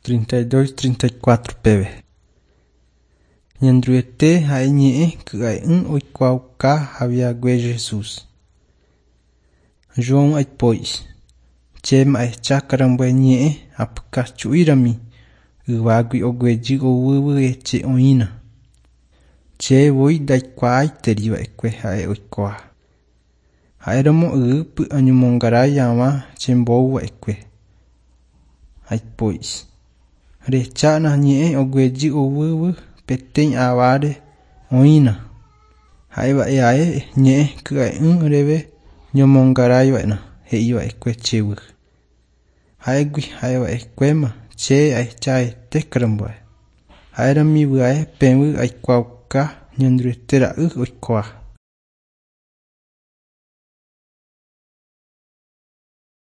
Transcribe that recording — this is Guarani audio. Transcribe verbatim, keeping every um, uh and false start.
Treinta y dos, treinta y cuatro peve. Ñanderuete ha'e ñe'ẽ ky'a'ỹ oikuaauka hague Jesús. João aipo'i. Chéma ahecha karambue ñe'ẽ apykachu'írami yvágui oguejy oúvo che oĩna. Chévoi ndaikuaáiteriva'ekue ha'e oikoha. Ha'éramo ýpe añomongarai hag̃ua chembouva'ekue. Aipo'i. Rehechána ñe'ẽ oguejy oúvo peteĩ aváre oĩna. Ha'eva'e'ae ñe'ẽ ky'a'ỹ reve ñomongaraiva'erã he'iva'ekue chéve. Ha'égui ha'eva'ekuéma che ahechaete karambue. Ha'érami vy'ae peẽve aikuaauka Ñanderuete ra'y oikoha.